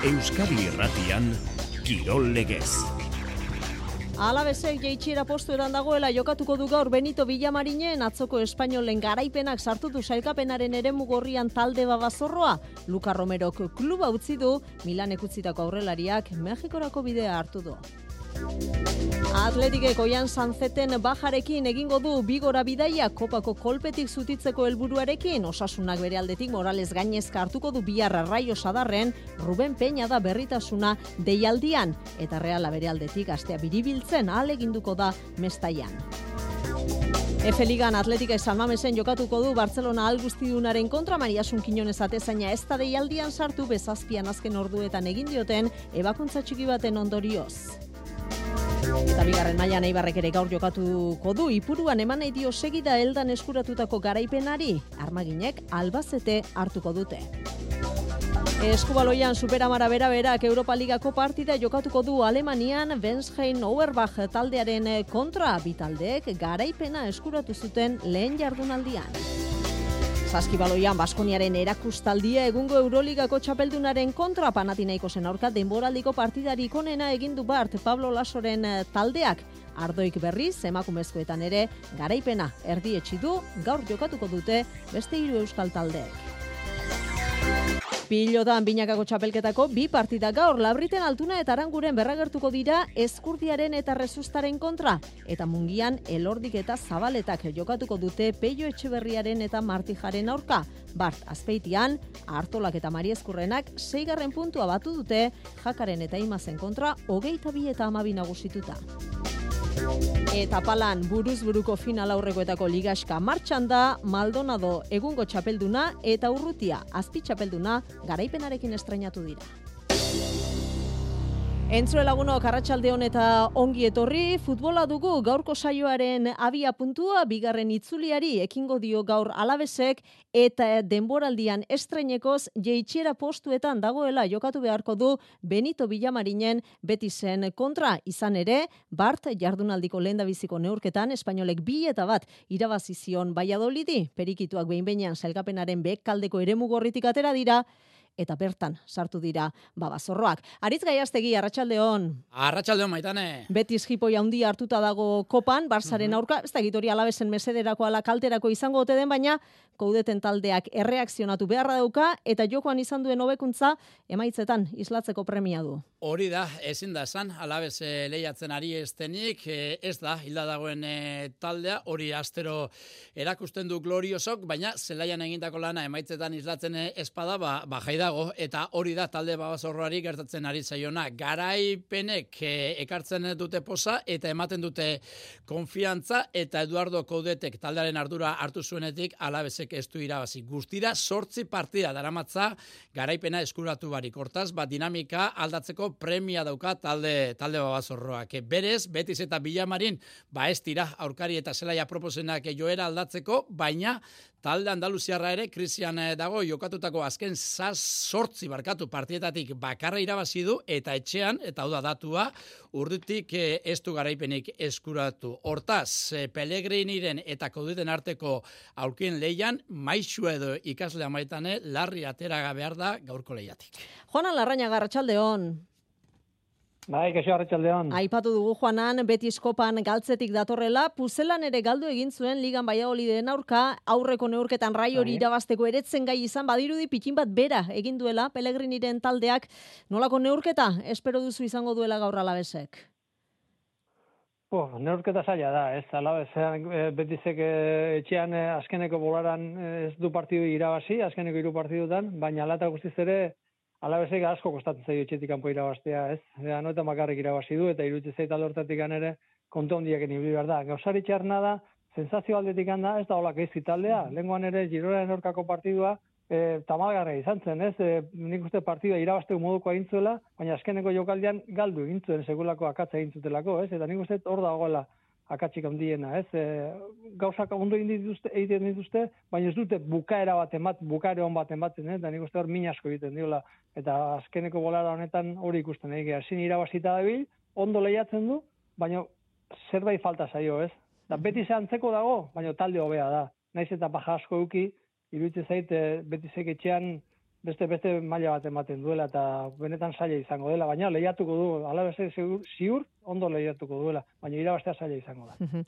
Euskadi Irratian, Kirol Legez. Alabesek jeitsiera postuetan dagoela jokatuko du gaur Benito Villamarinen atzoko espainolen garaipenak sartu du sailkapenaren eremu gorrian talde babazorroa. Luka Romerok kluba utzi du, Milanek utzitako aurrelariak Mexikorako bidea hartu du. Atletikek Oian Sanzeten bajarekin egingo du bigora bidaia kopako kolpetik zutitzeko helburuarekin. Osasunak bere aldetik Morales gainezka hartuko du bihar Raio Sadarren, Ruben Peña da berritasuna deialdian. Eta Reala bere aldetik astea biribiltzen ahaleginduko da Mestaian. F-Ligan Atletikek San Mamesen jokatuko du Barcelona Algustidunaren kontra. Mariasun Quiñones atezaina ez da deialdian sartu bezazpian azken orduetan egin dioten ebakuntza txiki baten ondorioz. Eta bigarren mailan Eibarrek ere gaur jokatuko du. Ipuruan eman nahi dio segida heldan eskuratutako garaipenari. Armaginek Albacete hartuko dute. Eskubaloian Superamara bera-berak Europa Ligako partida jokatuko du Alemanian Wensheim-Auerbach taldearen kontra. Bi taldeek garaipena eskuratu zuten lehen jardunaldian. Saskibaloian Baskoniaren erakustaldia egungo Euroligako txapeldunaren kontra. Panathinaikosen aurka denboraldiko partidarik onena egin du Bart Pablo Lasoren taldeak. Ardoik berriz emakumezkoetan ere garaipena erdietsi du, gaur jokatuko dute beste 3 euskal taldeek. Pilotan binakako txapelketako 2 partida gaur. Labriten Altuna eta Aranguren berragertuko dira Eskurdiaren eta Rezustaren kontra. Eta Mungian Elordik eta Zabaletak jokatuko dute Peio Etxeberriaren eta Martijaren aurka. Bart Azpeitian, Artolak eta Mariezkurrenak 6. puntua batu dute, Jakaren eta Imazen kontra 22 eta 12 nagusituta. Eta palan buruz buruko final aurrekoetako ligaxka martxan da. Maldonado egungo txapelduna eta Urrutia azpi txapelduna garaipenarekin estreinatu dira. Entzue lagunok, arratsaldeon eta ongi etorri. Futbola dugu gaurko saioaren abia puntua, bigarren itzuliari ekingo dio gaur Alabesek eta denboraldian estreinekoz jeitsiera postuetan dagoela jokatu beharko du Benito Villamarinen Betisen kontra. Izan ere, Bart jardunaldiko lehendabiziko neurketan espainolek 2-1 irabazi zion Valladolidi. Perikituak behin-behinean sailkapenaren behealdeko eremu gorritik atera dira. Eta bertan sartu dira babazorroak. Aritz Gaiastegi, arratsaldeon. Arratsaldeon, Maitane. Betis jipoi handia hartuta dago kopan, Barsaren aurka, ez da gitori Alabesen mesederako ala kalterako izango ote den, baina koudeten taldeak erreakzionatu beharra dauka, eta jokoan izan duen hobekuntza emaitzetan islatzeko premia du. Hori da, ezin da esan, Alabes lehiatzen ari estenik, ez da, hilda dagoen taldea, hori astero erakusten du gloriosok, baina zelaian egindako lana emaitzetan islatzen espada, jai dago, eta hori da talde babazorroari gertatzen ari zaiona. Garaipenek ekartzen dute posa, eta ematen dute konfiantza, eta Eduardo Coudetek taldearen ardura hartu zuenetik, Alabesek ez du irabazi. Guztira 8 partida daramatza garaipena eskuratu barik. Hortaz, dinamika aldatzeko premia dauka talde babazorroak. Berez, Betis eta Villamarin, ez dira aurkari eta zelaia proposenak joera aldatzeko, baina talde Andaluziarra ere krisian dago, jokatutako azken 8 partietatik bakarra irabazi du, eta etxean, eta hau da datua, Urrutik ez du garaipenik eskuratu. Hortaz, Pellegriniren eta Koudeten arteko aurkien leian, maixu edo ikaslea Maitane, larri atera behar da gaurko lehiatik. Juanan Larrañaga, arratsaldeon. Bai, kaixo, arratsaldeon. Aipatu dugu Juanan, Betis kopan galtzetik datorrela, Puzelan ere galdu egin zuen Ligan Valladoliden aurka, aurreko neurketan Raiori irabazteko eretzen gai izan, badirudi pitin bat bera egin duela Pellegriniren taldeak. Nolako neurketa espero duzu izango duela gaur Alabesek? Neurketa zaila da, ez? Alabesean Betisek etxean azkeneko bolaran ez du partidu irabazi, azkeneko 3 partidutan, baina alata guztiz ere Alabesek asko kostatzen zaio etxetik kanpo irabaztea, ez? Anoetan bakarrik irabazi du, eta iruditzen zait alde hortatik ere kontu handiak ibili behar da. Gauzari txarna da, sensazio aldetik da, ez da holak ez taldea. Lehengoan ere Girolaren aurkako partidua tamalgarria izan zen, ez? Nik uste partidua irabazteko moduko egin zuela, baina azkeneko jokaldian galdu egin zuen segulako akatza egin zutelako, ez? Eta nik uste hor dagoela akatsik handiena, ez? Gauzak ondo egiten dituzte, baina ez dute bukaera on bat ematen, eta nik uste hor min asko egiten diola. Eta azkeneko bolara honetan hori ikusten, ezin irabazita dabil, ondo lehiatzen du, baina zerbait falta zaio, ez? Da beti antzeko dago, baina talde hobea da. Naiz eta baja asko eduki, iruditzen zait Betisek etxean beste maila bat ematen duela eta benetan zaila izango dela, baina lehiatuko du, Alavesek ziur ondo lehiatuko duela, baina irabaztea zaila izango da.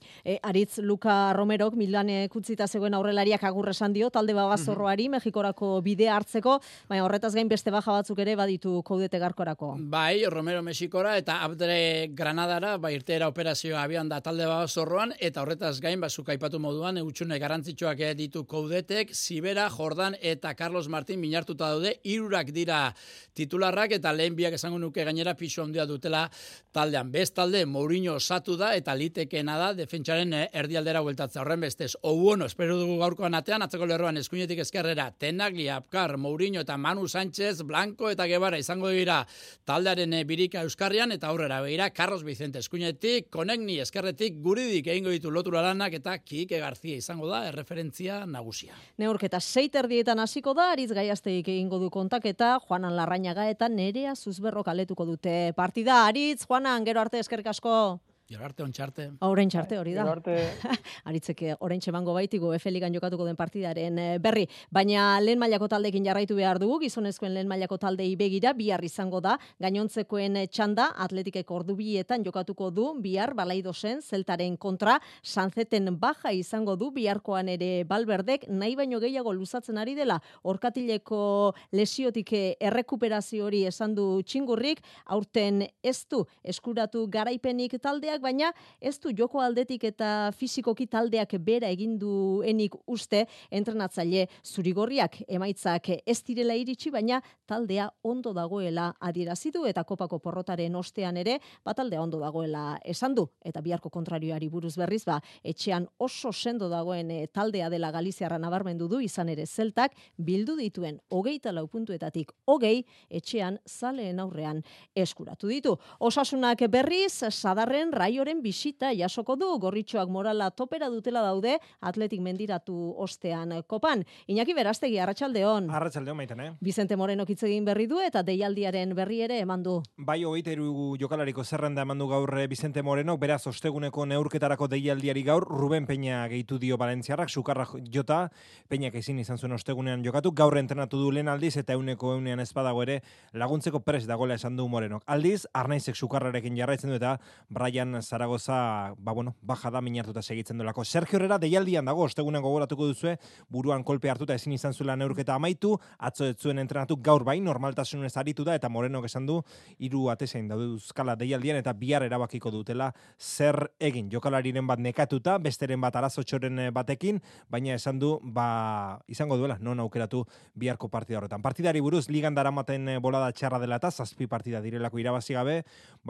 Aritz Luka Romerok Milanek utzita zegoen aurrelariak agur esan dio talde babazorroari Mexikorako bidea hartzeko, baina horretaz gain beste baja batzuk ere baditu Koudete Garkorako. Bai, Romero Mexikora eta Abdre Granadara, irteera operazioa abian da talde babazorroan, eta horretaz gain, zuk aipatu moduan, utxune garrantzitsuak ditu Koudetek, Sibera, Jordan eta Carlos Martin minartuta daude, 3 dira titularrak eta lehen biak esango nuke gainera pisu handia dutela taldean. Bestalde, Mourinho osatu da eta litekeena da defentsaren erdialdera bueltatza. Horren bestez, Ouono, espero dugu gaurkoan atean, atzeko lerroan eskuinetik ezkerrera, Tenagli, Apkar, Mourinho eta Manu Sánchez, Blanco eta Guevara izango dira taldearen birika euskarrian eta aurrera begira, Carlos Vicente eskuinetik, Konegni eskerretik, Guridik egingo ditu lotura lanak eta Kike García izango da erreferentzia nagusia. Neurketa 6:30 hasiko da, Aritz Gaiasteik egingo du kontaketa, Juanan Larrañaga eta Nerea Zuzberrok aletuko dute partida. Aritz, Juanan, gero arte eskerrik asko. Gero arte, ontxarte. Oraintxe hori da. Gero arte. Aritzeke oraintxe emango baitigu F-ligan jokatuko den partidaren berri. Baina lehen mailako taldeekin jarraitu behar dugu, gizonezkoen lehen mailako taldei begira, bihar izango da, gainontzekoen txanda, Atletikek ordu 2etan jokatuko du, bihar Balaidosen, Zeltaren kontra, Sanzeten baja izango du, biharkoan ere Balberdek, nahi baino gehiago luzatzen ari dela, orkatileko lesiotik errekuperazio hori esan du Txingurrik, aurten ez du eskuratu garaipenik taldeak, baina ez du joko aldetik eta fisikoki taldeak bera eginduenik uste entrenatzaile zurigorriak emaitzak ez direla iritsi, baina taldea ondo dagoela adierazi du eta kopako porrotaren ostean ere taldea ondo dagoela esan du eta biharko kontrarioari buruz berriz etxean oso sendo dagoen taldea dela Galiziarra nabarmendu du, izan ere Zeltak bildu dituen 24 puntuetatik 20 etxean zaleen aurrean eskuratu ditu. Osasunak berriz Sadarren Raioren bisita jasoko du, gorritxoak morala topera dutela daude, Atletik mendiratu ostean kopan. Iñaki Berastegi, arratsaldeon. Arratsaldeon Maitane. Vicente Morenok hitz egin berri du eta deialdiaren berri ere eman du. Bai, 23 jokalariko zerrenda eman du gaur Vicente Morenok, beraz osteguneko neurketarako deialdiari gaur Ruben Peña gehitu dio Valentziarrak, sukarra jota, Peñak ezin izan zuen ostegunean jokatu, gaur entrenatu du lehen aldiz eta euneko ez badago ere laguntzeko prest dagoela esan du Morenok. Aldiz, Arnaizek sukarrarekin jarraitzen du eta Brian Zaragoza, baja da minartuta segitzen duelako. Sergio Herrera deialdian dago, ostegunen gogoratuko duzue, buruan kolpe hartuta ezin izan zuela neurketa amaitu, atzo ez zuen entrenatu gaur bai, normaltasunez aritu da, eta Morenok esan du, 3 atezain dauzkala deialdian, eta bihar erabakiko dutela zer egin. Jokalariren bat nekatuta, besteren bat arazotxoren batekin, baina esan du, izango duela, non aukeratu biharko partida horretan. Partidari buruz, ligan daramaten bolada txarra dela eta 7 partida direlako irabazi gabe,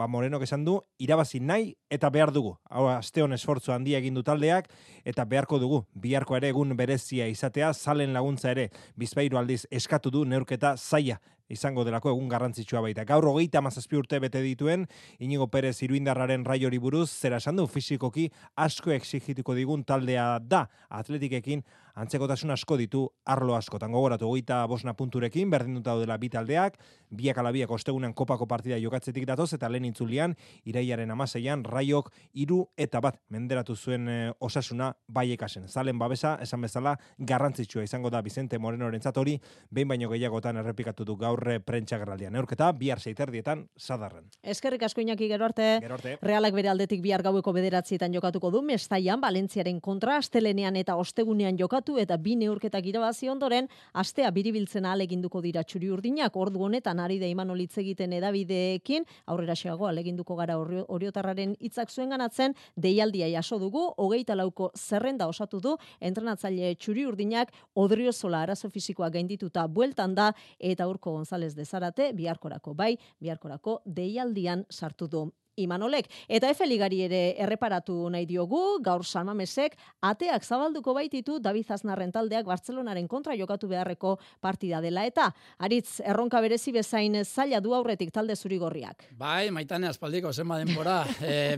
Morenok esan du, irabazi nahi eta behar dugu. Hau, asteon esfortzu handia egin du taldeak eta beharko dugu. Biharko ere egun berezia izatea, zalen laguntza ere Bizpahiru aldiz eskatu du neurketa zaila izango delako egun garrantzitsua baita. Gaur 37 urte bete dituen Inigo Perez Iruindarraren Raiori buruz, zera esan du fisikoki asko exigituko digun taldea da. Atletikekin antzekotasun asko ditu arlo askotan. Gogoratu 25 punturekin berdinduta daudela bi taldeak, biak ala biak ostegunean kopako partida jokatzetik datoz eta lehen itzulian irailaren 16an Raiok 3-1 menderatu zuen Osasuna Baiekasen. Zalen babesa esan bezala garrantzitsua izango da Vicente Morenorentzat hori behin baino gehiagotan errepikatu du gaur prentsa gerraldian. Neurketa bihar 6:30 Sadarren. Eskerrik asko Iñaki, gero arte. Realak bere aldetik bihar gaueko 9:00 jokatuko du Mestaian Valentziaren kontra, astelenean eta ostegunean jokatu eta 2 neurketak irabazi ondoren astea biribiltzen ahaleginduko dira txuri-urdinak. Ordu honetan ari da Imanol hitz egiten hedabideekin, aurreraxeago ahaleginduko gara Oriotarraren hitzak zuenganatzen, deialdia jaso dugu, 24ko zerrenda osatu du entrenatzaile txuri-urdinak Odriozola arazo fisikoa gaindituta bueltan da eta Urko González de Zarate biharkorako deialdian sartu du Imanolek. Eta F-ligari ere erreparatu nahi diogu, gaur San Mamesek ateak zabalduko baititu David Aznarren taldeak Bartzelonaren kontra jokatu beharreko partida dela eta Aritz erronka berezi bezain zaila du aurretik talde zurigorriak. Bai, Maitane aspaldiko zenba denbora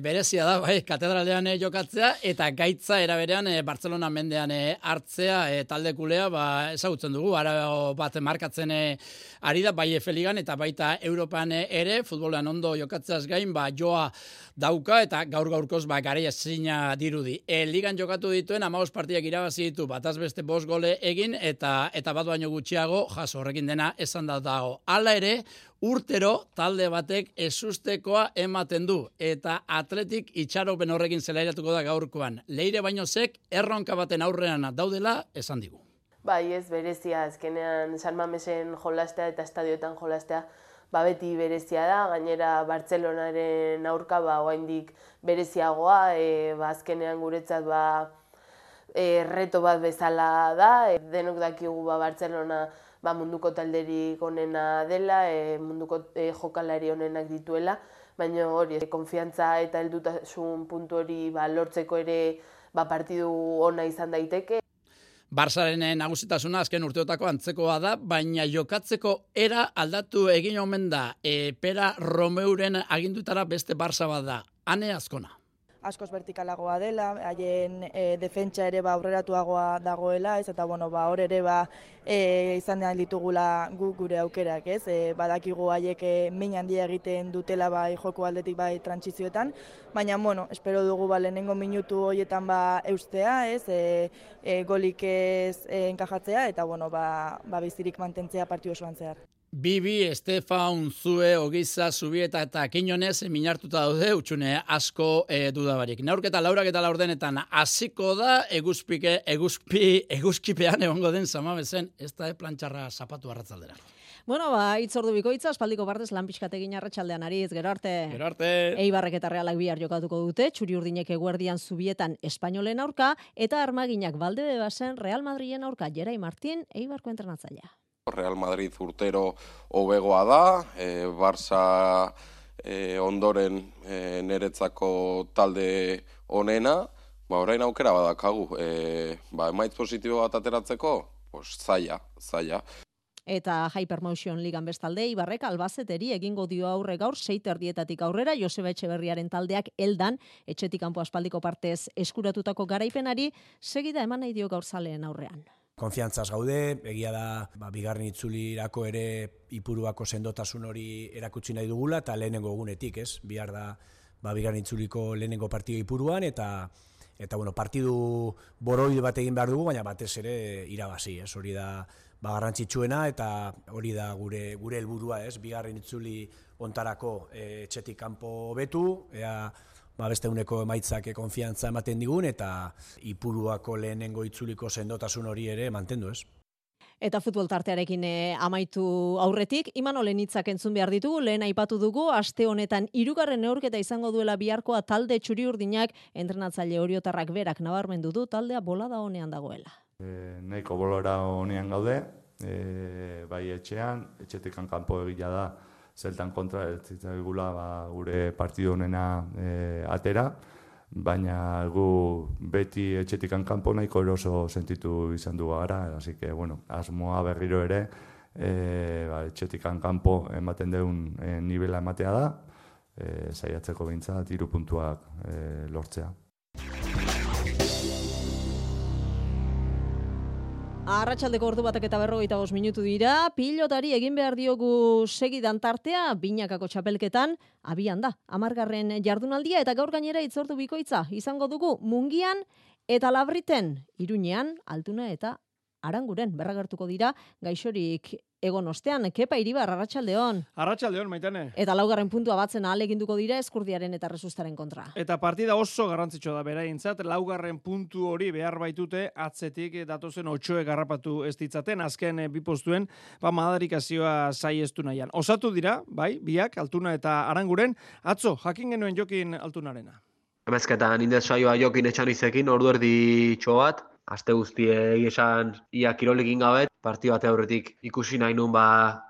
berezia da, bai, katedralean jokatzea eta gaitza eraberean Bartzelona mendean hartzea talde kulea, ezagutzen dugu, ara bat markatzen ari da, bai F-ligan eta baita Europan ere, futbolean ondo jokatzeaz gain, giroa dauka eta gaur-gaurkoz garaia zina dirudi. Ligan jokatu dituen 15 partidak irabazi ditu, bataz beste 5 gole egin eta bat baino gutxiago jaso, horrekin dena esan da dago. Hala ere, urtero talde batek ezustekoa ematen du eta Atletik itxaropen horrekin zelairatuko da gaurkoan. Leire Bainozek erronka baten aurrean daudela esan digu. Bai, ez berezia, azkenean San Mamesen jolastea eta estadioetan jolastea beti berezia da, gainera Bartzelonaren aurka oraindik bereziagoa, azkenean guretzat reto bat bezala da, denok dakigu Bartzelona munduko talderik onena dela, munduko jokalari onenak dituela, baina hori, konfiantza eta heldutasun puntu hori lortzeko ere partidu ona izan daiteke. Barsaren nagusitasuna azken urteotako antzekoa da, baina jokatzeko era aldatu egin omen da. Pera Romeuren agindutara beste Barsa bat da. Ane Azkona. Askoz vertikalagoa dela, haien defentsa ere aurreratuagoa dagoela, eta hor ere izan den ditugula gure aukerak, ez? Badakigu haiek min handia egiten dutela joko aldetik trantsizioetan, baina espero dugu lehenengo minutu horietan eustea, ez? Golik ez enkajatzea eta bizirik mantentzea partidu osoan zehar. Bibi, Estefan, Zue, Ogiza, Zubieta eta Kinonez minartuta daude utxune asko dudabarik. Neurketa lauraketa laurdenetan hasiko da eguzkipean egongo den Samamesen, ez da plantxarra zapatu arratzaldera. Itzordu bikoitza, aspaldiko partez lan pixkategin arratsaldean ariz, gero arte. Eibarrek eta Realak bihar jokatuko dute, txuri urdinek eguerdian Zubietan Espainolen aurka, eta Armaginak Valdebebasen Real Madrilen aurka, Jerai Martin, Eibarko entrenatzailea. Real Madrid urtero hobegoa da, Barça ondoren niretzako talde onena, orain aukera badakagu, emaitz positibo bat ateratzeko, zaila. Eta Hypermotion Ligan bestalde, Ibarrek Albazeteri egingo dio aurre gaur 6:30 aurrera, Joseba Etxeberriaren taldeak eldan, etxetik kanpo aspaldiko partez eskuratutako garaipenari, segida eman nahi dio gaur zaleen aurrean. Konfiantzaz gaude, egia da bigarren itzulirako ere Ipuruako sendotasun hori erakutsi nahi dugula, eta lehenengo egunetik, ez? Bihar da bigarren itzuliko lehenengo partidu Ipuruan, eta partidu boroide bat egin behar dugu, baina batez ere irabazi, ez? Hori da garrantzitsuena, eta hori da gure helburua, ez? Bigarren itzuli ontarako etxetik kanpo hobetu, beste uneko emaitzak konfiantza ematen digun, eta Ipuruako lehenengo itzuliko sendotasun hori ere mantendu, ez? Eta futbol tartearekin amaitu aurretik, Imanolen hitzak entzun behar ditugu, lehen aipatu dugu, aste honetan 3. neurketa izango duela biharkoa talde txuri-urdinak, entrenatzaile oriotarrak berak nabarmendu du taldea bolada honean dagoela. Nahiko bolora honean gaude, bai etxetik kanpo egila da, Zeltan kontra eltzitzaigula gure partidu honena atera, baina gu beti etxetikan kanpo nahiko eroso sentitu izan du gara, así que, asmoa berriro ere etxetikan kanpo ematen deun nivela ematea da, saiatzeko behintzat 3 puntuak lortzea. Arratsaldeko 1:45 minutu dira, pilotari egin behar diogu segidan tartea, binakako txapelketan, abian da, 10. jardunaldia eta gaur gainera itzordu bikoitza, izango dugu Mungian eta Labriten, Iruñean, Altuna eta Aranguren, berragertuko dira, gaixorik egon ostean, Kepa Iribar, arratsaldeon. Arratsaldeon, Maitane. Eta 4. puntua batzen ahaleginduko dira Eskurdiaren eta Resustaren kontra. Eta partida oso garrantzitsua da beraientzat, 4. puntu hori behar baitute atzetik datozen 8 garrapatu ez ditzaten, azken 2 postuen, madarikazioa saiestu nahian. Osatu dira, biak, Altuna eta Aranguren, atzo, jakin genuen Jokin Altunarena. Emezketan indez saioa Jokin etxan izekin, ordu erdi txobat, aste guztiei esan ia kirolekin gabe, partidu bate aurretik ikusi nahi nun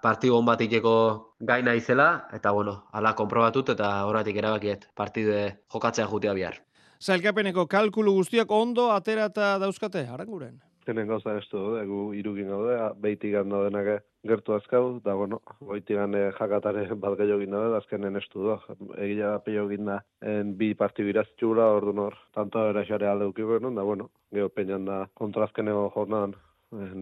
partidu on bat iteko gaina izela, eta hala konprobatut eta horretik erabakiet partidu jokatzea jutea bihar. Sailkapeneko kalkulu guztiak ondo aterata dauzkate, Aranguren? Zenen gauza ez du, gu irukin gaude, behitigan daudenak gertu azkau, eta goitigan jakatare bat gehiagin daude, azkenen ez du. Egia pehiagin da, 2 partidu iraztxura, orduan hor, tanto eraxare alde ukiko genuen, da geho peinan da kontrazkeneko jornadan,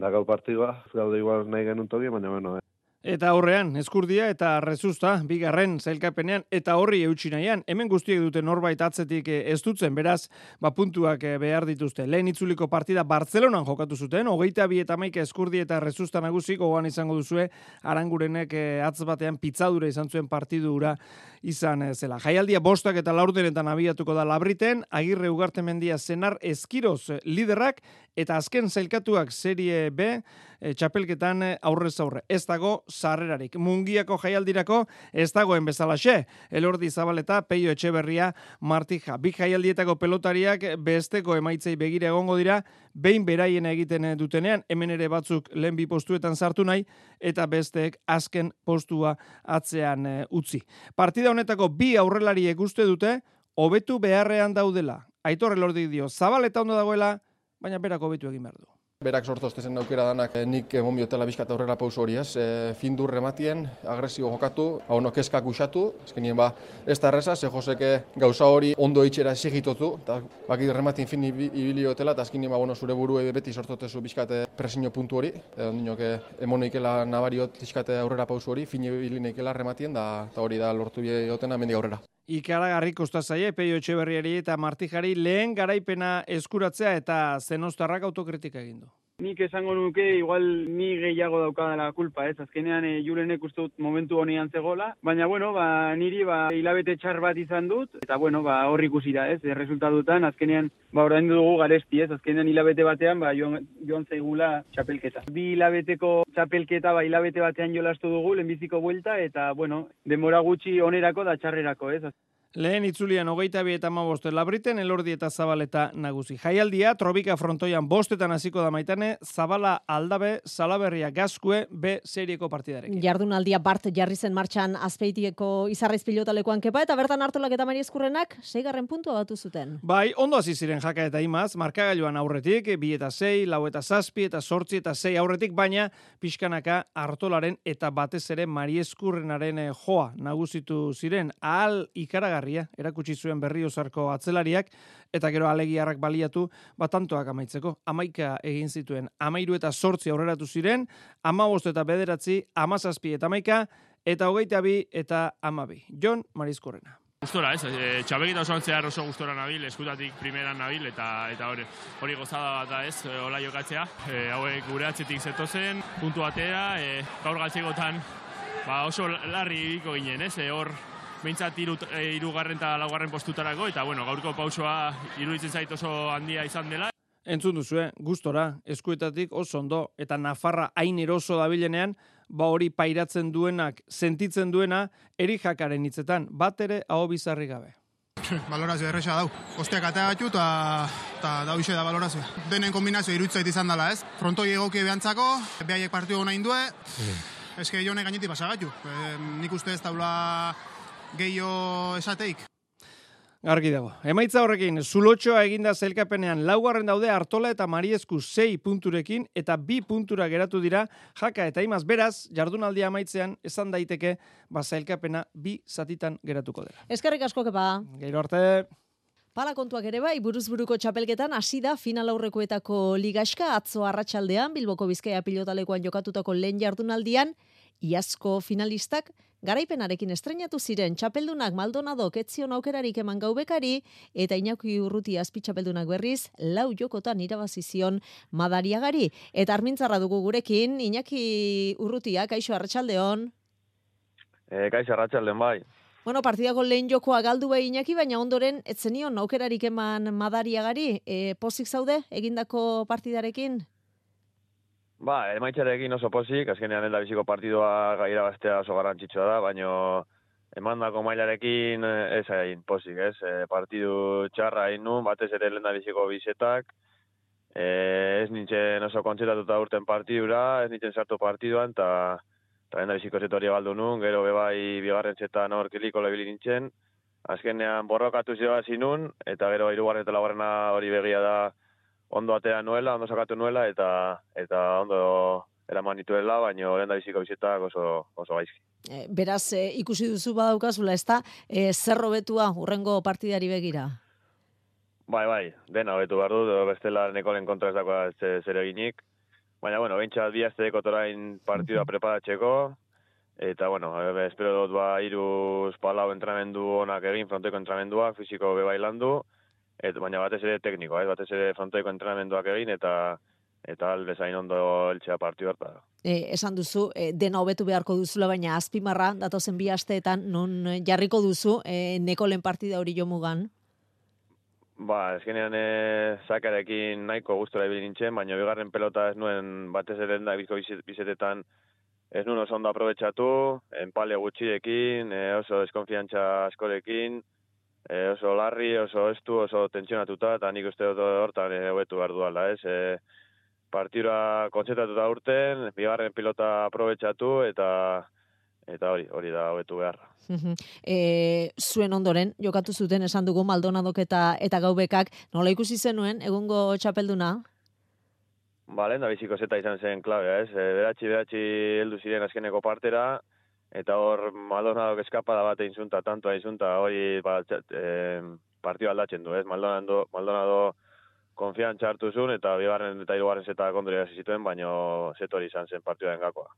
da gau partidua, ez gaude igual nahi genuen toki, baina Eta aurrean, Eskurdia eta Rezusta, bigarren zailkapenean, eta horri eutsi nahian. Hemen guztiek dute norbait atzetik ez dutzen, beraz, puntuak behar dituzte. Lehen itzuliko partida Bartzelonan jokatu zuten, 22-11 Eskurdia eta Rezusta nagusi, gogoan izango duzue, Arangurenek atz batean pitzadura izan zuen partidu hura izan zela. Jaialdia 5 eta 4 abiatuko da Labriten, Agirre Ugartemendia Senar Eskiroz liderrak, eta azken zailkatuak Serie B, txapelketan aurrez aurre. Ez dago sarrerarik. Mungiako jaialdirako ez dagoen bezalaxe. Elordi Zabaleta, Peio Etxeberria, Martija. Bi jaialdietako pelotariak besteko emaitzei begira egongo dira, behin beraien egiten dutenean, hemen ere batzuk lehen bi postuetan sartu nahi, eta besteek azken postua atzean utzi. Partida honetako bi aurrelariek uste dute, hobetu beharrean daudela. Aitor Elordi dio, Zabaleta ondo dagoela, baina berak hobetu egin behar du. Berak sortoztezen aukera danak nik emon biotela bizkat aurrera pauso hori, ez? Findur rematien, agresio jokatu, keskak usatu, ezkenien ez da erreza, ze Joseke gauza hori ondo itxera esigitotu, eta baki rematien fin ibili hotela, eta ezkenien zure buru beti sortotezu bizkat presiño puntu hori, ondinok emon ikela nabariot bizkat aurrera pauso hori, fin ibili neikela rematien, da hori da lortu biotena mendik aurrera. Ikaragarri kosta zaie, Peio Etxeberriari eta Martijari lehen garaipena eskuratzea eta Zenostarrak autokritika egin du. Nik esango nuke, igual ni gehiago daukadala kulpa, ez? Azkenean Julenek uste dut momentu honean zegoela, baina niri hilabete txar bat izan dut, eta hor ikusi da, ez? Resultatutan, azkenean orain dugu garesti, ez? Azkenean hilabete batean joan zaigula txapelketa. Bi hilabeteko txapelketa hilabete batean jolastu dugu, lehenbiziko buelta, eta denbora gutxi onerako da txarrerako, ez? Lehen itzulian 22-15 Labriten, Elordi eta Zabaleta nagusi. Jaialdia, Trobika frontoian 5 hasiko da Maitane, Zabala Aldabe, Salaberria Gazkue, B serieko partidarekin. Jardunaldia Bart jarri zen martxan Azpeitieko Izarraiz pilotalekuan kepa, eta bertan Artolak eta Mari Eskurrenak 6. puntua batu zuten. Bai, ondo hasi ziren Jaka eta Imaz, markagailuan aurretik, 2 eta 6, 4 eta 7 eta 8 eta 6 aurretik, baina pixkanaka Artolaren eta batez ere Mari Eskurrenaren joa nagusitu ziren, ahal ikaragarria erakutsi zuen Berriozarko atzelariak, eta gero alegiarrak baliatu, tantoak amaitzeko. 11 egin zituen, 13 eta 8 aurreratu ziren, 15 eta 9, 17 eta 11, eta 22 eta 12. Jon Marizkorrena. Gustora, ez? Txapelketa osoan zehar oso gustora nabil, eskutatik primeran nabil, eta hori gozada bat da, ez? Hola jokatzea. Hauek gure atzetik zetozen, puntu batera, gaur galtzegotan oso larri ibiko ginen, ez? Hor behintzat 3. eta 4. postutarako, eta gaurko pausoa iruditzen zait oso handia izan dela. Entzun duzue, gustora, eskuetatik oso ondo, eta Nafarra hain eroso dabilenean, hori pairatzen duenak, sentitzen duena, Erijakaren hitzetan, bat ere aho bizarri gabe. Balorazio erresa dau. Osteak atea batu eta dau ise da balorazio. Denen kombinazio iruditzait izan dela, ez? Frontoi egoki behantzako, behaiek partidu nahi indue, eske jone gainetik pasagatu. Nik uste ez daula gehiago esateik. Argi dago. Emaitza horrekin, Zulotxoa eginda zailkapenean 4. daude Artola eta Mariesku 6 punturekin, eta 2 puntura geratu dira Jaka eta Imaz. Beraz, jardunaldia amaitzean esan daiteke zailkapena 2 zatitan geratuko dela. Eskerrik asko kepa. Gero arte. Pala kontuak ere bai, buruzburuko txapelketan hasi da final aurrekoetako ligaxka, atzo arratsaldean Bilboko Bizkaia pilotalekuan jokatutako lehen jardunaldian, iazko finalistak garaipenarekin estrenatu ziren txapeldunak Maldonadok etzion aukerarik eman gaubekari, eta Iñaki Urruti azpitxapeldunak berriz 4 jokotan irabazi zion Madariagari. Eta armintzarra dugu gurekin, Iñaki Urrutia, kaixo arratsaldeon. Kaixo arratsaldeon bai. Partidako lehen jokoa galdu bai Iñaki, baina ondoren etzenion aukerarik eman Madariagari. Pozik zaude egindako partidarekin? Emaitzarekin oso pozik, azkenean helda biziko partidua irabaztea oso garrantzitsua da, baina emandako mailarekin ez hain pozik, ez? Partidu txarra hain nun, batez ere lenda biziko bizetak, ez nintzen oso kontzetatuta urten partidura, ez nintzen sartu partiduan, eta lenda biziko zetoria baldu nun, gero bebai bigarren zetan hor kiliko lebili nintzen, azkenean borrokatu zidoazi nun, eta gero 3. eta 4. hori begia da, ondo atea nuela, ondo sakatu nuela, eta ondo eraman nituela, baina lehen da biziko bizetak oso gaizki. Beraz, ikusi duzu badaukazula, ez da, zer hobetua hurrengo partidari begira? Bai, dena hobetu behar dut, bestela nekolen kontra ez dagoa zer eginik. Baina, behintzat bi aztedeko torain partidua preparatzeko, Eta, bueno, espero dut iruz palau entrenamendu onak egin, frontoiko entrenamenduak, fisiko bebailandu, baina batez ere teknikoa, batez ere frontoiko entrenamenduak egin, eta albezain ondo eltzea partiu hartara. Esan duzu, dena hobetu beharko duzula, baina azpimarra, datozen 2 asteetan, non jarriko duzu, Nekolen partida hori jomugan? Ezkenean zakarekin nahiko gustora ibili nintzen, baina bigarren pelota ez nuen batez ere da bizko bizetetan ez nuen oso ondo aprobetxatu, enpale gutxiekin, oso deskonfiantza askorekin, oso larri, oso estu, oso tentsionatuta, eta nik uste dut hortan hobetu behar duala, ez? Partidura kontzentratuta urten, bigarren pilota aprobetxatu, eta hori da hobetu beharra. Zuen ondoren, jokatu zuten esan dugu Maldonadok eta Gaubekak, nola ikusi zenuen, egungo txapelduna? Lehen da biziko zeta izan zen klabea, ez? Beratxi heldu ziren azkeneko partera, eta hor Maldonadok eskapada bat einzunta, tantoa einzunta, hori partio aldatzen du, ez? Maldonado konfiantza hartu zuen, eta bigarren eta hirugarren zeta kondoria zituen, baino zetori izan zen partioaren gakoa.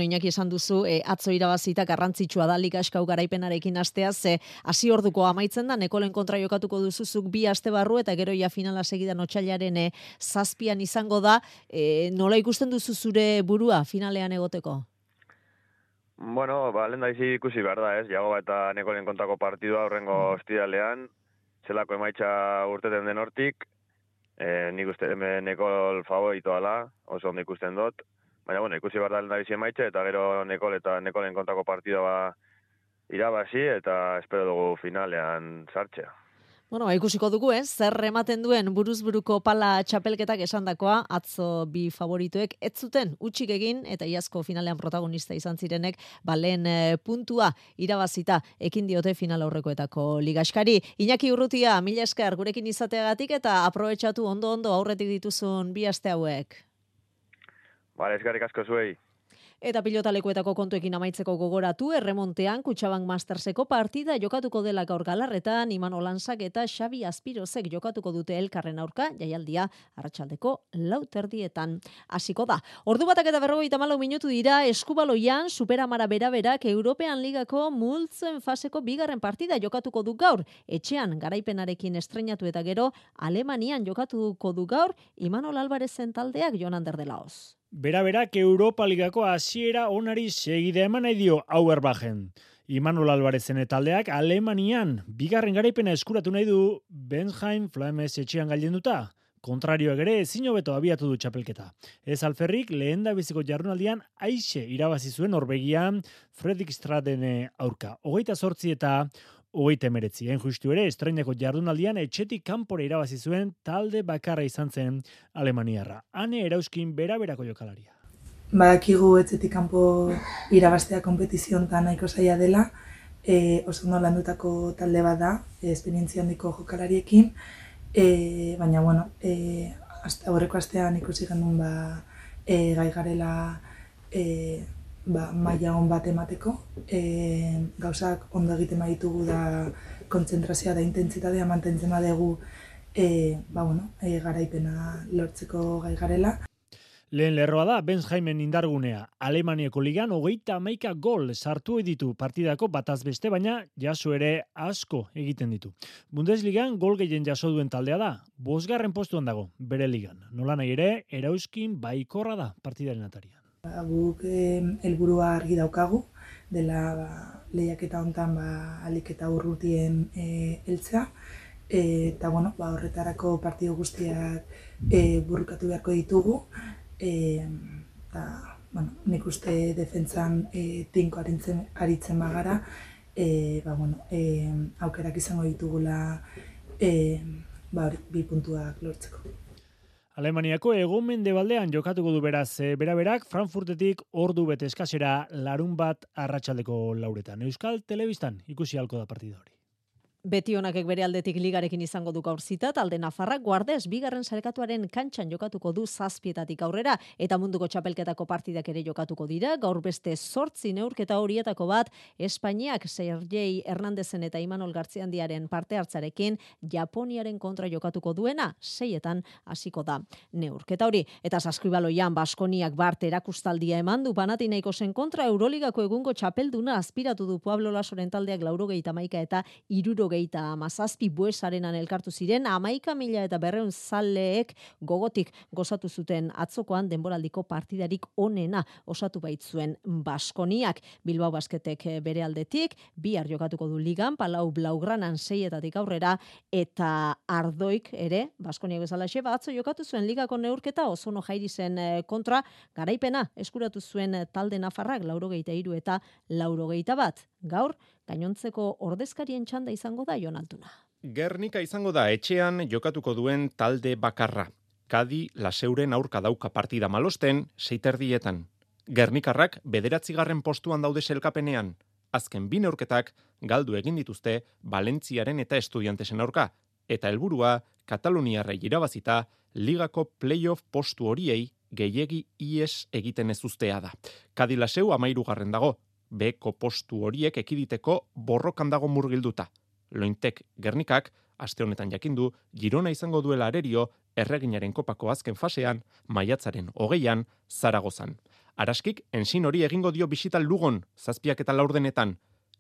Iñaki esan duzu, atzo irabazita garrantzitsua da ligaskau garaipenarekin asteaz, hasi orduko amaitzen da, Nekolen kontra jokatuko duzuzuk 2 aste barru, eta gero ja finala segidan otsailaren 7 izango da, nola ikusten duzu zure burua finalean egoteko? Lehen da ikusi behar da, ez? Jagoba eta Nekolen kontrako partidua horrengo ostiralean, zelako emaitza urteten den hortik, nik uste Nekol favoritoa da, oso ondo ikusten dut, baina ikusi behar da lehendabizi emaitza, eta gero Nekol eta Nekolen kontrako partidua irabazi, eta espero dugu finalean sartzea. Ikusiko dugu, zer ematen duen buruzburuko pala txapelketak esandakoa, atzo 2 favoritoek ez zuten utxik egin, eta iazko finalean protagonista izan zirenek, lehen puntua irabazita ekin diote final aurrekoetako ligaskari. Iñaki Urrutia, mila esker gurekin izateagatik, eta aprobetxatu ondo aurretik dituzun 2 aste hauek. Eskerrik asko zuei. Eta pilotalekuetako kontuekin amaitzeko gogoratu, erremontean Kutxabank Masterseko partida jokatuko dela gaur Galarretan, Imanol Lansak eta Xabi Azpirozek jokatuko dute elkarren aurka, jaialdia arratsaldeko 4:00 hasiko da. Ordu 1:54 minutu dira, eskubaloian Superamara beraberak European Ligako multzoen faseko 2. partida jokatuko du gaur. Etxean garaipenarekin estreinatu eta gero Alemanian jokatuko du gaur Imanol Alvarezen taldeak, Jon Ander de Laoz. Beraberak Europa Ligako hasiera onari segida eman nahi dio Auerbachen. Imanol Alvarezen taldeak Alemanian 2. garaipena eskuratu nahi du Bensheim Flames etxean gailenduta. Kontrarioak ere ezin hobeto abiatu du txapelketa. Ez alferrik lehendabiziko jardunaldian aixe irabazi zuen Norvegian Fredrikstaden aurka. 28 eta 39. Justu ere, estreineko jardunaldian etxetik kanpora irabazi zuen talde bakarra izan zen alemaniarra. Ane Erauskin beraberako jokalaria. Badakigu etxetik kanpo irabaztea konpetiziontan nahiko zaila dela, oso ondo landutako talde bat da, esperientzia handiko jokalariekin, baina aurreko astean ikusi genuen gai garela maila on bat emateko, gauzak ondo egiten baditugu da kontzentrazioa da intentsitatea mantentzen badugu garaipena lortzeko gai garela. Lehen lerroa da Bensheimen indargunea. Alemaniako ligan 31 gol sartu ditu partidako bataz beste, baina jaso ere asko egiten ditu. Bundesligan gol gehien jaso duen taldea da, 5. postuan dago bere ligan. Nola nahi ere, Erauskin baikorra da partidaren atarian. Guk helburua argi daukagu, dela lehiaketa hontan ahalik eta urrutien heltzea, eta horretarako partidu guztiak burrukatu beharko ditugu, nik uste defentsan tinko aritzen bagara, aukerak izango ditugula 2 puntuak lortzeko. Alemaniako hego-mendebaldean jokatuko du beraz beraberak Frankfurtetik ordu bete eskasera larunbat arratsaldeko 4:00. Euskal Telebistan ikusi ahalko da partida hori. Betionakek bere aldetik ligarekin izango du gaur zita, talde nafarrak Guardes bigarren sailkatuaren kantxan jokatuko du 7 aurrera, eta munduko txapelketako partidak ere jokatuko dira. Gaur beste 8 neurketa horietako bat Espainiak Sergei Hernandezen eta Imanol Gartziandiaren parte hartzarekin Japoniaren kontra jokatuko duena, 6 hasiko da neurketa hori. Eta saskibaloian Baskoniak Bart erakustaldia eman du Panathinaikosen kontra. Euroligako egungo txapelduna aspiratu du Pablo Lasoren taldeak 81 eta 77 Buesarenan elkartu ziren, 11.200 zaleek gogotik gozatu zuten atzokoan denboraldiko partidarik onena osatu baitzuen Baskoniak. Bilbao Basketek bere aldetik, bihar jokatuko du ligan, Palau Blaugranan 6 aurrera, eta Ardoik ere, Baskoniak bezalaxe, atzo jokatu zuen ligako neurketa Ozono Jairizen kontra, garaipena eskuratu zuen talde nafarrak 83 eta 81. Gaur, gainontzeko ordezkarien txanda izango da Jon Altuna. Gernika izango da etxean jokatuko duen talde bakarra. Kadi Laseuren aurka dauka partida malosten 6:30. Gernikarrak 9. postuan daude sailkapenean. Azken 2 neurketak galdu egin dituzte Valentziaren eta Estudiantesen aurka, eta helburua Kataluniarrei irabazita ligako playoff postu horiei gehiegi ies egiten ez uztea da. Kadi Laseu 13. dago. Beko postu horiek ekiditeko borrokan dago murgilduta. Lointek Gernikak, aste honetan jakindu, Girona izango duela arerio Erreginaren kopako azken fasean, maiatzaren 20an, Zaragozan. Araskik, ensin hori egingo dio bisita Lugon, 7 eta 4.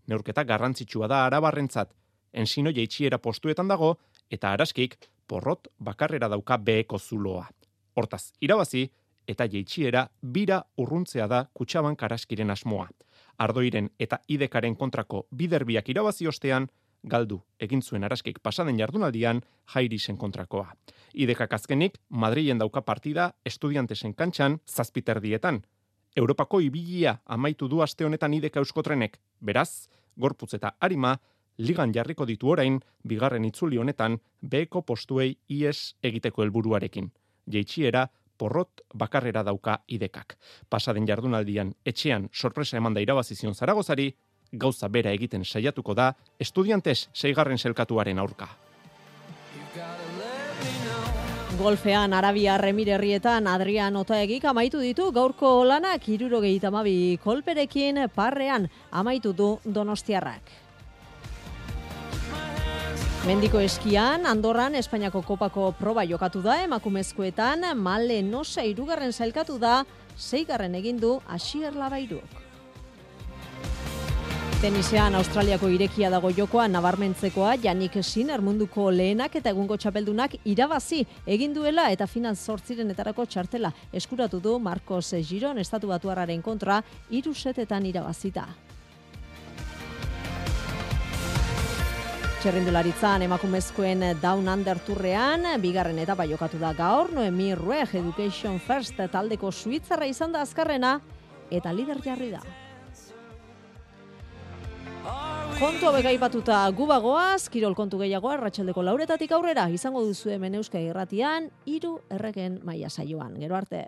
Neurketa garrantzitsua da Arabarrentzat. Ensino jaitxiera postuetan dago, eta Araskik porrot bakarrera dauka Beko zuloa. Hortaz, irabazi, eta jaitxiera bira urruntzea da Kutxabank Araskiren asmoa. Ardoiren eta Idekaren kontrako biderbiak irabazi ostean, galdu egin zuen Araskik pasaden jardunaldian Jairisen kontrakoa. Idekak azkenik Madrilen dauka partida Estudiantesen kantxan 7:30. Europako ibilia amaitu du aste honetan Ideka Euskotrenek. Beraz, gorputz eta arima ligan jarriko ditu orain bigarren itzuli honetan Beko postuei ies egiteko helburuarekin. Jaitsiera porrot bakarrera dauka Idekak. Pasaden jardunaldian etxean sorpresa emanda irabazi zion Zaragozari, gauza bera egiten saiatuko da Estudiantes 6. sailkatuaren aurka. Golfean Arabiar Emirerrietan Adrian Otaegik amaitu ditu gaurko lanak 72 kolperekin parrean amaitu du donostiarrak. Mendiko eskian, Andorran Espainiako kopako proba jokatu da, emakumezkoetan Male Nosa 3. sailkatu da, 6. egin du Asier Labairuk. Tenisean Australiako irekia dago jokoa nabarmentzekoa, Yannick Sinner munduko lehenak eta egungo txapeldunak irabazi egin duela eta final 8etarako txartela eskuratu du Marcos Giron estatu batuarraren kontra 3 setetan irabazita. Txerrindularitzan emakumezkoen Down Under turrean, bigarren etapa jokatu da gaur, Noemi Rueg Education First taldeko suitzarra izan da azkarrena eta lider jarri da. Kontu hauek aipatuta gubagoaz, kirol kontu gehiago arratsaldeko 4 aurrera izango duzu hemen Euskadi Irratian 3 erregen maila saioan. Gero arte.